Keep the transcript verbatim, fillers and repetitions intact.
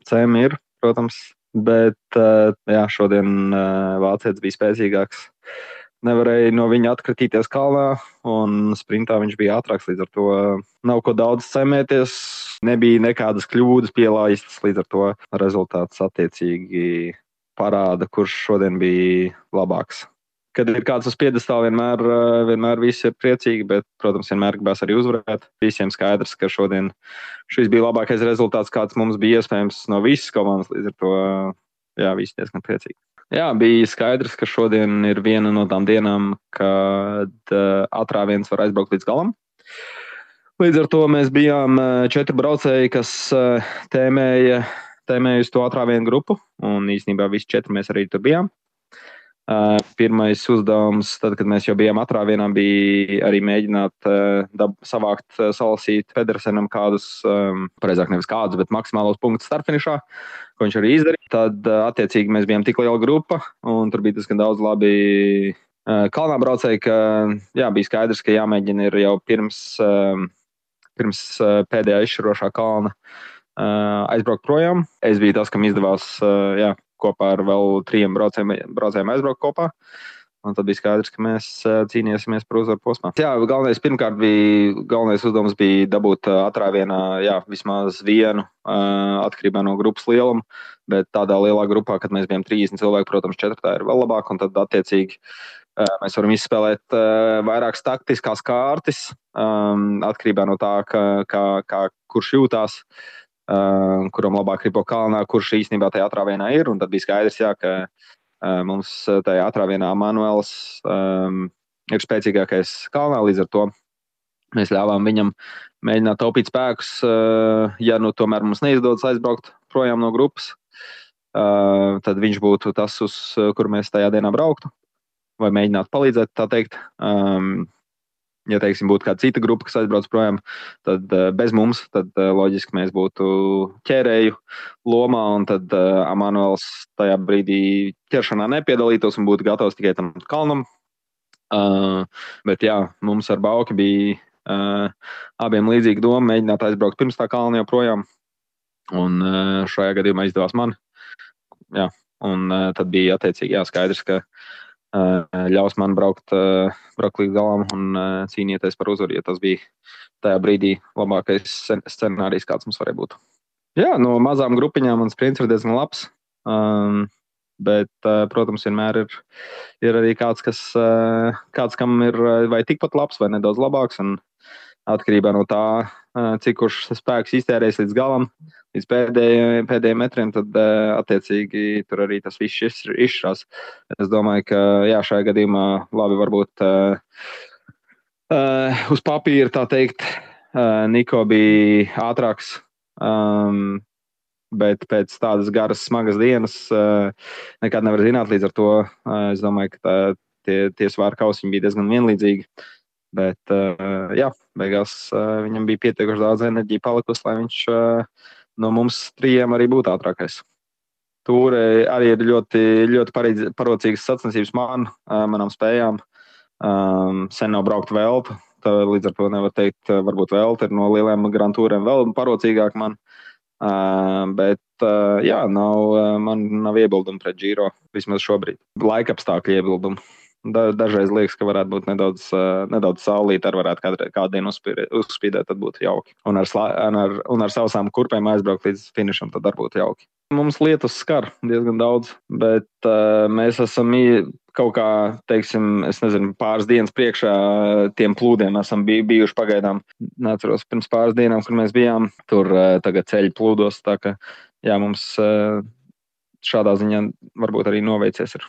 cēm ir, protams, bet uh, jā, šodien uh, vācietis bija spēcīgāks. Nevarēja no viņa atkritīties kalnā, un sprintā viņš bija ātrāks. Līdz ar to nav ko daudz cēmēties. Nebija nekādas kļūdas pielaistas, līdz ar to rezultāts attiecīgi parāda, kurš šodien bija labāks. Kad ir kāds uz piedestāla, vienmēr, vienmēr viss ir priecīgi, bet, protams, vienmēr gribēs arī uzvarēt. Visiem skaidrs, ka šodien šis bija labākais rezultāts, kāds mums bija iespējams no visas komandas. Līdz ar to, jā, visi diezgan priecīgi. Jā, bija skaidrs, ka šodien ir viena no tām dienām, kad uh, atrāviens var aizbraukt līdz galam. Līdz ar to mēs bijām četri braucēji, kas uh, tēmēja, tēmēja uz to atrāvienu grupu, un īstenībā visi četri mēs arī tur bijām. Uh, pirmais uzdevums, tad, kad mēs jau bijām atrāvienā, bija arī mēģināt uh, dab, savākt, uh, salasīt Pedersenam kādus, um, pareizāk nevis kādus, bet maksimālos punktus startfinišā, ko viņš arī izdarīja. Tad, uh, attiecīgi, mēs bijām tik liela grupa, un tur bija diezgan daudz labi uh, kalnā braucēji, ka jā, bija skaidrs, ka jāmēģina ir jau pirms, um, pirms uh, pēdējā izšķirošā kalna uh, aizbraukt projām. Es biju tas, kam izdevās, uh, jā, kopā ar vēl trijiem braucējiem, braucējiem aizbraukt kopā. Un tad bija skaidrs, ka mēs cīnīsimies par uzvaru posmā. Jā, galvenais pirmkārt bija, galvenais uzdevums bija dabūt atrāvienā, jā, vismaz vienu atkarībā no grupas lieluma, bet tādā lielā grupā, kad mēs bijām trīsdesmit cilvēki, protams, četratā ir vēl labāk, un tad attiecīgi mēs varam izspēlēt vairākas taktiskās kārtas, atkarībā no tā, kā, kā, kā kurš jūtās. Uh, kuram labāk ripo kalnā, kurš īstenībā tajā atrāvienā ir. Un tad bija skaidrs, jā, ka uh, mums tajā atrāvienā Manuels um, ir spēcīgākais kalnā, līdz ar to mēs ļāvām viņam mēģināt taupīt spēkus, uh, ja nu tomēr mums neizdodas aizbraukt projām no grupas, uh, tad viņš būtu tas, uz kur mēs tajā dienā brauktu, vai mēģinātu palīdzēt, tā teikt. Um, Ja, teiksim, būtu kāda cita grupa, kas aizbrauc projām, tad uh, bez mums, tad uh, loģiski mēs būtu ķērēju lomā, un tad uh, Emanuels tajā brīdī ķeršanā nepiedalītos un būtu gatavs tikai tam kalnam. Uh, bet jā, mums ar Bauki bija uh, abiem līdzīga doma mēģināt aizbraukt pirms tā kalna jau projām, un uh, šajā gadījumā izdevās man. Jā, un uh, tad bija attiecīgi jā, skaidrs, ka ļaus man braukt, braukt līdz galam un cīnīties par uzvaru, ja tas bija tajā brīdī labākais scenārijs, kāds mums varēja būt. Jā, no mazām grupiņām mans sprints ir diezgan labs, um, bet, protams, vienmēr ir, ir arī kāds, kas, kāds, kam ir vai tikpat labs, vai nedaudz labāks, un atkarībā no tā, cik kurš spēks iztērēs līdz galam, līdz pēdējiem, pēdējiem metriem, tad attiecīgi tur arī tas viss izšķirās. Es domāju, ka jā, šajā gadījumā labi varbūt uh, uh, uz papīra, tā teikt, uh, Niko bija ātrāks, um, bet pēc tādas garas, smagas dienas uh, nekad nevar zināt, līdz ar to uh, es domāju, ka tā, tie, tie svāra kausiņi bija diezgan vienlīdzīgi. Bet, uh, jā, beigās uh, viņam bija pietiekuši daudz enerģija palikusi, lai viņš uh, no mums trījiem arī būtu ātrākais. Tur arī ir ļoti, ļoti pareiz, parocīgas sacensības man, uh, manām spējām. Um, sen nav braukt veltu, tā, līdz ar to nevar teikt, varbūt velta ir no lieliem Grand Touriem vēl parocīgāk man. Uh, bet, uh, jā, nav, man nav iebildumi pret Giro, vismaz šobrīd. Laikapstākļu iebildumi. Da, dažreiz liekas, ka varētu būt nedaudz, uh, nedaudz saulīt, ar varētu kādu, kādu dienu uzspīdēt, uzspīdēt, tad būtu jauki. Un ar, slā, ar, un ar sausām kurpēm aizbraukt līdz finišam, tad arī būtu jauki. Mums lietus skar diezgan daudz, bet uh, mēs esam kaut kā, teiksim, es nezinu, pāris dienas priekšā tiem plūdiem esam bij, bijuši pagaidām. Neatceros pirms pāris dienām, kur mēs bijām, tur uh, tagad ceļi plūdos, tā ka jā, mums uh, šādā ziņā varbūt arī noveicies ir.